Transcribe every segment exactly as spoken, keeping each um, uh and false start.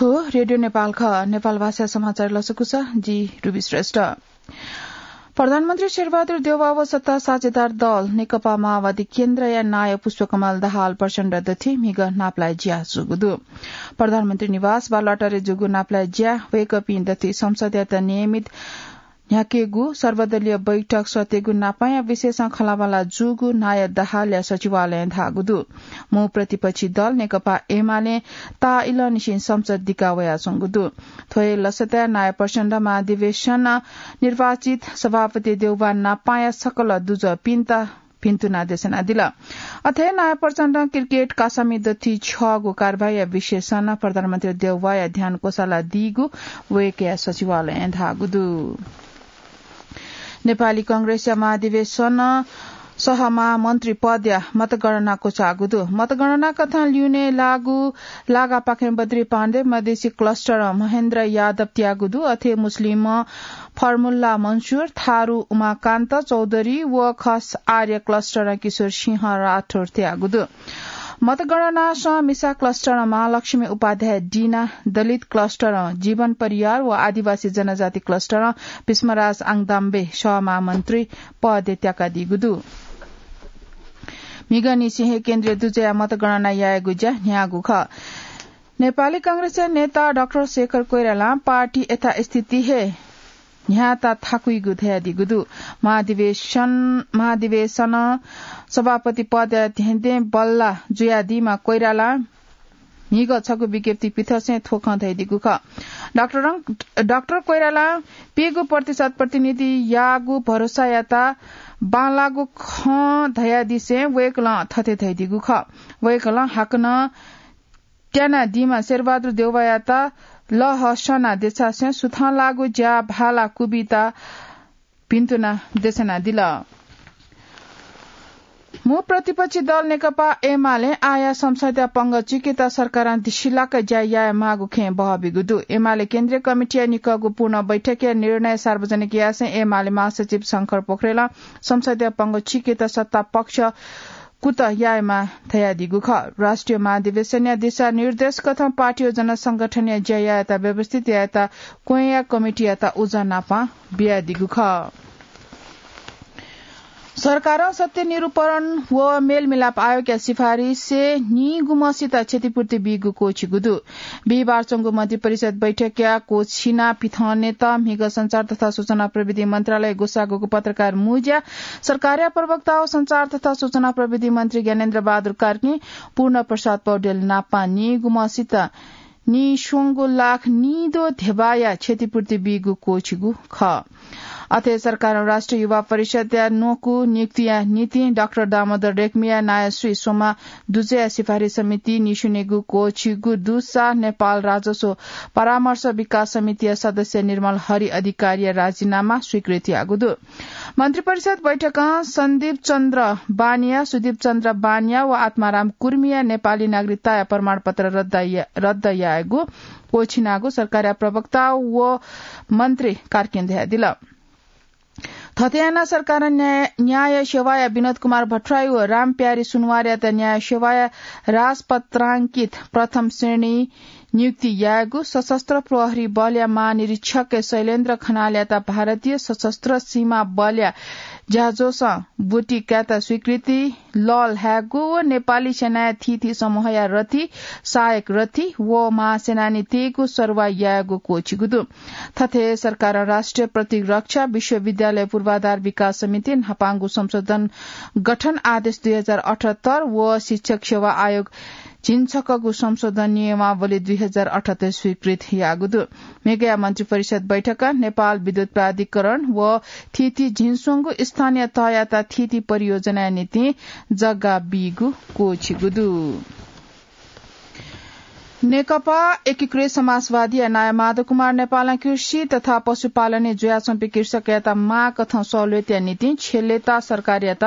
रेडियो नेपाल खः। नेपाल भाषा समाचार लसकुस, जि रुबी श्रेष्ठ। प्रधानमन्त्री शेरबहादुर देउवा व सत्ता साझेदार दल नेकपा माओवादी केन्द्रया नायः पुष्पकमल दाहाल प्रचण्ड दथुइ म्हिगः नापलाये ज्या जूगु दु। प्रधानमन्त्री निवास बालुवाटारय् जूगु नापलाये ज्या वय्कःपिं दथुइ संसदयात नियमित न्ह्याकेगु सर्वदलीय बैठक सःतेगु नापाया विशेषं खँल्हाबल्हा जूगु नायः दाहालया सचिवालयं धाःगु दु। मू प्रतिपक्षी दल नेकपा एमालें ताःइलंनिसें संसद दिका वयाच्वंगु दु। थ्व हे लसताय् नायः प्रचण्ड महाधिवेशन निर्वाचित सभापति देउवा नापाया सकल दुजःपिन्त भिन्तुना देछानादिल। अथे नायः प्रचण्डं क्रिकेट कासामि दथुइ छ्यःगु कारबाहीया विशेषं प्रधानमन्त्री देउवाया ध्यान क्वसालादीगु वय्कःया सचिवालयं धाःगु दु। नेपाली कांग्रेसया महाधिवेशन सहमहामन्त्री पदया मतगणना क्वचाःगु दु। मतगणना कथं ल्यूने लाःगु लागापाखें बद्री पाण्डे, मधेसी क्लस्टरं महेन्द्र यादव त्याःगु दु। अथे मुस्लिमं फर्मुल्ला मन्सुर, थारु उमाकान्त चौधरी व खस आर्य क्लस्टरं किशोर सिंह राठोर त्याःगु दु। मतगणनासं मिसा क्लस्टरं महालक्ष्मी उपाध्याय डिना, दलित क्लस्टरं जीवन परियार व आदिवासी जनजाति क्लस्टरं भीष्मराज आङदाम्बे सहमहामन्त्री पदय् त्याकादीगु दु। म्हिगःनिसें हे केन्द्रीय दुजःया मतगणना यायेगु ज्या न्ह्याःगु खः। नेपाली कांग्रेसया नेता डाक्टर शेखर कोइरालां पार्टी यथास्थिति हे न्ह्याःता थाकुइगु धयादीगु दु। महाधिवेशन, महाधिवेशन सभापति पदया धेंधें बल्ला जुयादीम्ह कोइरालां म्हिगः छगू विज्ञप्ति पिथंसें थ्व खँ धयादीगु खः। डाक्टरं, डाक्टर कोइरालां पीगू प्रतिशत प्रतिनिधि याःगु भरोसायात बांलाःगु खँ धयादिसें वय्कलं थथे धयादीगु खः। वय्कलं हाकनं त्यानादीम्ह शेरबहादुर देउवायात लःहःसना देछासें सुथंलाःगु ज्या भाला क्वबिता भिन्तुना देछानादिल। मू प्रतिपक्षी दल नेकपा एमालें आःया संसदया पंगः चीकेत सरकारं दिसिलाक ज्या याये माःगु खँय् बहःबीगु दु। एमाले केन्द्रीय कमिटीया निकःगु पूर्ण बैठकया निर्णय सार्वजनिक यासें एमाले महासचिव शंकर पोखरेलं संसदया पंगः चीकेत सत्ता पक्ष कुतः यायेमाः धयादीगु खः। राष्ट्रिय महाधिवेशनया दिशानिर्देश कथं पार्टी व जनसंगठनया ज्या यायेत व्यवस्थित यायेत क्वँया कमिटीयात उजं नापं बियादीगु खः। सरकारं सत्य निरूपण व मेलमिलाप आयोगया सिफारिसय् निगुम्हसित क्षतिपूर्ति बीगु क्वःछिगु दु। बिहिबार च्वंगु मन्त्रिपरिषद बैठकया क्वःछिना पिथनेत म्हिगः सञ्चार तथा सूचना प्रविधि मन्त्रालय ग्वसाःगु पत्रकार मुँज्या सरकारया प्रवक्ता व सञ्चार तथा सूचना प्रविधि मन्त्री ज्ञानेन्द्र बहादुर कार्कीं पूर्ण प्रसाद पौडेल नापं निगुम्हसित निस्वंगू लाख निद्वः ध्यबाया क्षतिपूर्ति बीगु क्वःछिगु खः। अथे सरकारं राष्ट्रिय युवा परिषदया न्वकू नियुक्तिया निंतिं डाक्टर दामोदर रेग्मीया नायः स्वीस्वम्ह दुजःया सिफारिस समितिं निस्वनेगु क्वःछिगु दुसा नेपाल राजस्व परामर्श विकास समितिया सदस्य निर्मल हरि अधिकारीया राजीनामा स्वीकृत याःगु दु। मन्त्रिपरिषद बैठकं सन्दीप चन्द्र बानिया, सुदीप चन्द्र बानिया व आत्माराम कुर्मीया नेपाली नागरिकताया प्रमाणपत्र रद्द या-, रद्द यायेगु क्वःछिनागु सरकारया प्रवक्ता व मन्त्री कार्कीं धयादिल। थथे यानाः सरकारं न्याय, न्याय सेवाया विनोद कुमार भट्टराई व रामप्यारी सुनवारयात न्याय सेवाया राजपत्रांकित प्रथम श्रेणी नियुक्ति यायेगु, सशस्त्र प्रहरी बलया महानिरीक्षक शैलेन्द्र खनालयात भारतीय सशस्त्र सीमा बलया ज्याझ्वलं ब्वति कायेत स्वीकृति लःल्हायेगु व नेपाली सेनाया थीथी समूहया रथी, सहायक रथी व महासेनानीतय्गु सरुवा यायेगु क्वःछिगु दु। थथे सरकारं राष्ट्रिय प्रतिरक्षा विश्वविद्यालय पूर्वाधार विकास समिति न्हापांगु संशोधन गठन आदेश दुई हजार अठहत्तर व शिक्षक सेवा आयोग झिंछक्वःगु संशोधन नियमावली दुई हजार अठहत्तर स्वीकृत याःगु दु। म्हिगःया मन्त्रिपरिषद बैठकं नेपाल विद्युत प्राधिकरण व थीथी झिंस्वंगू स्थानीय तहयात थीथी परियोजनाया निंतिं जग्गा बीगु क्वःछिगु दु। नेकपा एकीकृत समाजवादीया नायः माधव कुमार नेपालं कृषि तथा पशुपालनय् जुयाच्वंपिं कृषकयात माःकथं सहुलियतया निंतिं छेलेता सरकारयात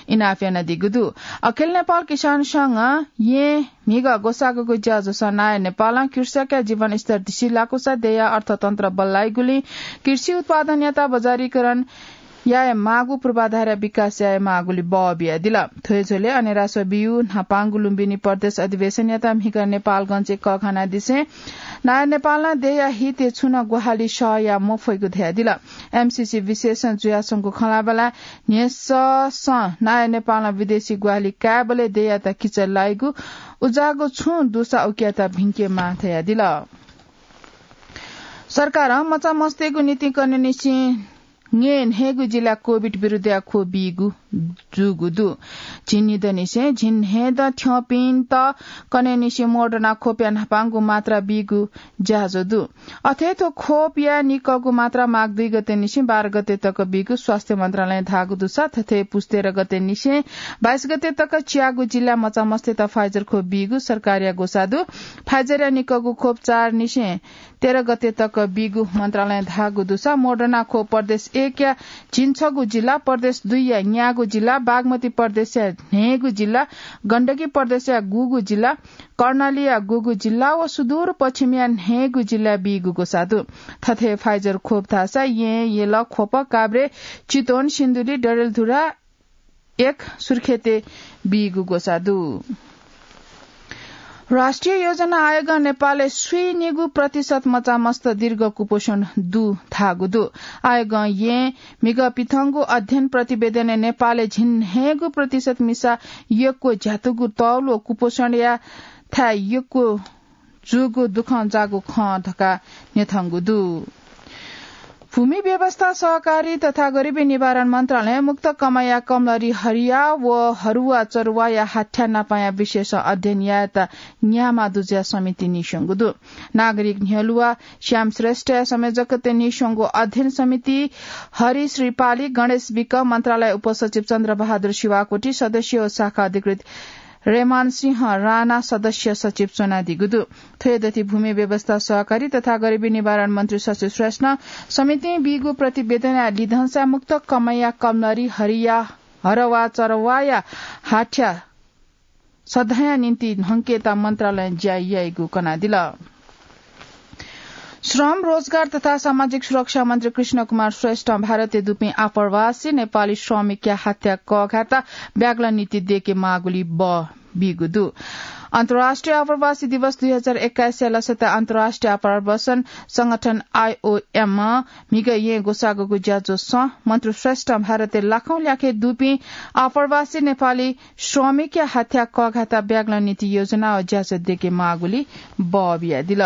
इनाप यानादीगु दु। अखिल नेपाल किसान संघं येँ म्हिगः ग्वसाःगु ज्याझ्वलं नायः नेपालं कृषकया जीवनस्तर दिसिलाकूसा देय्या अर्थतन्त्र बल्लाइगुलिं कृषि उत्पादनयात बजारीकरण याये माःगु पूर्वाधार विकास याये माःगुली बः बियादिल। थ्व हे झ्वलय् अनेराश्व बियु न्हापांगु लुम्बिनी प्रदेश अधिवेशनयात म्हिगः नेपालगंजय् कःघानादिसें नायः नेपालं देय्‌या हितय् छुं नं ग्वाहालि सह याये मफइगु धयादिल। एमसीसी विशेषण जुयाच्वंगु खँल्हाबल्हाय् न्ह्यसःसं नायः नेपालं विदेशी ग्वाहालि कायेबलय् देय्‌यात किचय् लाइगु, उज्याःगु छुं दुसा उकियात भिंकेमाः धयादिल। सरकारं मचामस्तय्‌गु निंतिं कन्हय्‌निसें न्हय्‌गू जिल्लाय् कोभिड विरुद्धया ख्वप बीगु जूगु दु। झिंनिदँनिसें झिंन्हय्‌दँ थ्यंपिन्त कन्हय्‌निसें मोडर्ना ख्वपया न्हापांगु मात्रा बीगु ज्याझ्वः दु। अथे थ्व ख्वपया निकःगु मात्रा माघ दुई गतेनिसें बाह्र गते तक बीगु स्वास्थ्य मन्त्रालयं धाःगु दुसा थथे पुस तेह्र गतेनिसें बाइस गते तक च्यागू जिल्लाय् मचामस्तय्‌त Pfizer ख्वप बीगु सरकारया ग्वसाः दु। Pfizer-या निकःगु ख्वप चारनिसें तेह्र गते तक बीगु मन्त्रालयं धाःगु दुसा मोडर्ना ख्वप प्रदेश एकया झिंछगू जिल्ला, प्रदेश दुईया न्यागू जिल्ला, बागमती प्रदेशया न्हय्‌गू जिल्ला, गण्डकी प्रदेशया गुगू जिल्ला, कर्णालीया गुगू जिल्ला व सुदूर पश्चिमया न्हय्‌गू जिल्लाय् बीगु ग्वसाः दु। थथे Pfizer ख्वप धाःसा येँ, यल, ख्वप, काभ्रे, चितवन, सिन्धुली, डडेलधुरा एक, सुर्खेतय् बीगु ग्वसाः दु। राष्ट्रिय योजना आयोगं नेपालय् स्वीनिगू प्रतिशत मचामस्त दीर्घ कुपोषण दु धाःगु दु। आयोगं येँ म्हिगः पिथंगु अध्ययन प्रतिवेदनय् नेपालय् झिंन्हय्‌गू प्रतिशत मिसा यक्व झ्यातुगु तौल व कुपोषणया थाय् यक्व जूगु दुःखं जाःगु खँ धकाः न्ह्यथंगु दु। भूमि व्यवस्था, सहकारी तथा गरिबी निवारण मन्त्रालयं मुक्त कमाइया कमलरी हरिया व हरुवा चरुवाया हाथ्या नापाया विशेष अध्ययन यायेत न्ह्यामा दुज्या समिति नीस्वंगु दु। नागरिक न्ह्यलुवा श्याम श्रेष्ठया संयोजकत्वय् नीस्वंगु अध्ययन समिति हरि श्रीपाली, गणेश विक, मन्त्रालय उपसचिव चन्द्रबहादुर शिवाकोटी, सदस्य व शाखा अधिकृत रेमान सिंह राणा सदस्य सचिव च्वनादीगु दु। थ्व हे दथि भूमि व्यवस्था, सहकारी तथा गरिबी निवारण मन्त्री शशि श्रेष्ठं समितिं बीगु प्रतिवेदनया लिधंसा मुक्त कमाइया कमलरी हरिया हरवा चरवाया हाथ्या सधया निंतिं न्हंकेत मन्त्रालयं ज्या याइगु कनादिल। श्रम, रोजगार तथा सामाजिक सुरक्षा मन्त्री कृष्ण कुमार श्रेष्ठं भारतय् दुपिं आप्रवासी नेपाली श्रमिकया हाथ्या कःघायेत ब्यागलं निंतिं दय्‌के माःगुली बः बीगु दु। अन्तर्राष्ट्रिय आप्रवासी दिवस दुई हजार एक्काइसया लसता अन्तर्राष्ट्रिय आप्रवासन संगठन आइओएमं म्हिगः येँ ग्वसाःगु ज्याझ्वलय् मन्त्री श्रेष्ठं भारतय् लाखौं ल्याखय् दुपिं आप्रवासी नेपाली श्रमिकया हाथ्या कःघायेत ब्यागलं निंतिं योजना व ज्याझ्वः दय्‌के माःगुली बः बियादिल।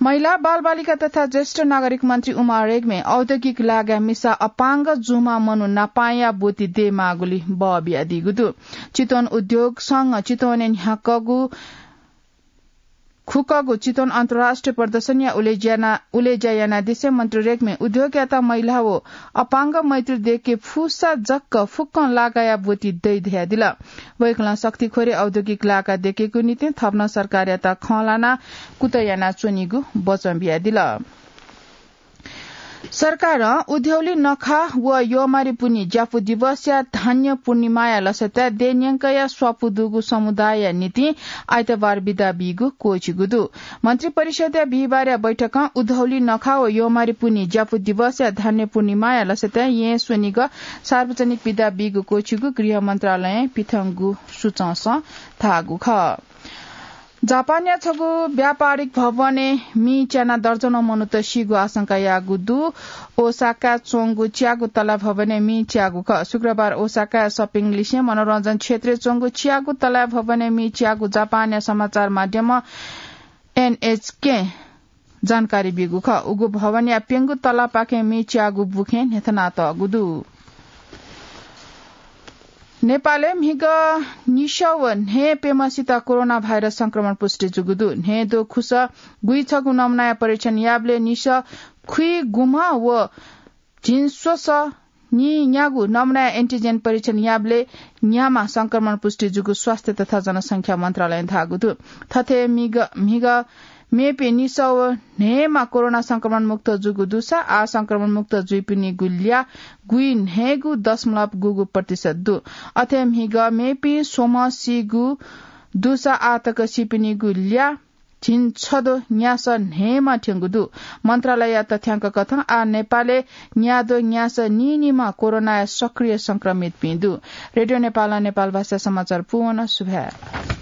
महिला, बालबालिका तथा ज्येष्ठ नागरिक मन्त्री उमा रेग्मी औद्योगिक लागाय् मिसा अपाङ्ग जूम्ह मनू नापांया ब्वति दयेमाःगुली बः बियादीगु दु। चितवन उद्योग संघ चितवनय् न्ह्याकःगु खुकःगु चितवन अन्तर्राष्ट्रिय प्रदर्शनया उलेज्या याना-, उलेज्या यानादिसें मन्त्री रेग्मी उद्योगयात महिला व अपाङ्ग मैत्री दय्‌के फुसा जक फुक्कं लागाया ब्वति दइ धयादिल। वय्‌कलं शक्तिखोरी औद्योगिक लागा दय्‌केगु निंतिं थप नं सरकारयात खँ ल्हाना कुतः यानाच्वनीगु वचन बियादिल। सरकारं उधौली नखः व यःमारी पुन्हि ज्यापु दिवसया धान्य पूर्णिमाया लसताय् देय्‌न्यंकया स्वापू दुगु समुदायया निंतिं आइतबार बिदा बीगु क्वःछिगु दु। मन्त्री परिषदया बिहिबारया बैठकं उधौली नखः व यःमारी पुन्हि ज्यापु दिवसया धान्य पूर्णिमाया लसताय् येँ स्वनिगः सार्वजनिक बिदा बीगु क्वःछिगु गृह मन्त्रालयं पिथंगु सूचंसं धाःगु खः। जापानया छगू व्यापारिक भवनय् मि च्यानाः दर्जनौं मनूत सीगु आशंका याःगु दु। ओसाकाय् च्वंगु च्यागू तला भवनय् मि च्याःगु खः। शुक्रबार ओसाकाया shopping लिसें मनोरञ्जन क्षेत्रय् च्वंगु च्यागू तला भवनय् मि च्याःगु जापानया समाचार माध्यम एनएचके जानकारी बीगु खः। उगु भवनया प्यंगू तलापाखें मि च्याःगु बुखें न्ह्यथनातःगु दु। नेपालय् म्हिगः निसः व न्हय् प्यम्हसित कोरोना भाइरस संक्रमण पुष्टि जूगु दु। न्हय् द्वखुस गुइछगू नमुनाया परीक्षण याःबलय् निसः खुइगुम्ह व झिंस्वसः नीन्यागू नमुनाया एन्टिजेन परीक्षण याःबलय् न्याम्ह संक्रमण पुष्टि जूगु स्वास्थ्य तथा जनसंख्या मन्त्रालयं धाःगु दु। थथे म्हिगः, म्हिगः मेपिं निसः व न्हय्म्ह कोरोना संक्रमण मुक्त जूगु दुसा आः संक्रमण मुक्त जुइपिनिगु ल्याः गुइन्हय्गू दशमलव गुगू प्रतिशत दु। अथे म्हिगः मेपिं स्वम्ह सीगु दुसा आः तक सीपिनिगु ल्याः झिंछदँ न्यासः न्हय्‌म्ह थ्यंगु दु। मन्त्रालय तथ्यांक कथं आः नेपालय् न्याद्वः न्यासः नीनिम्ह कोरोनाया सक्रिय संक्रमितपिं दु। रेडियो नेपालं नेपाल भाषा समाचार पूवन। सुभाय्।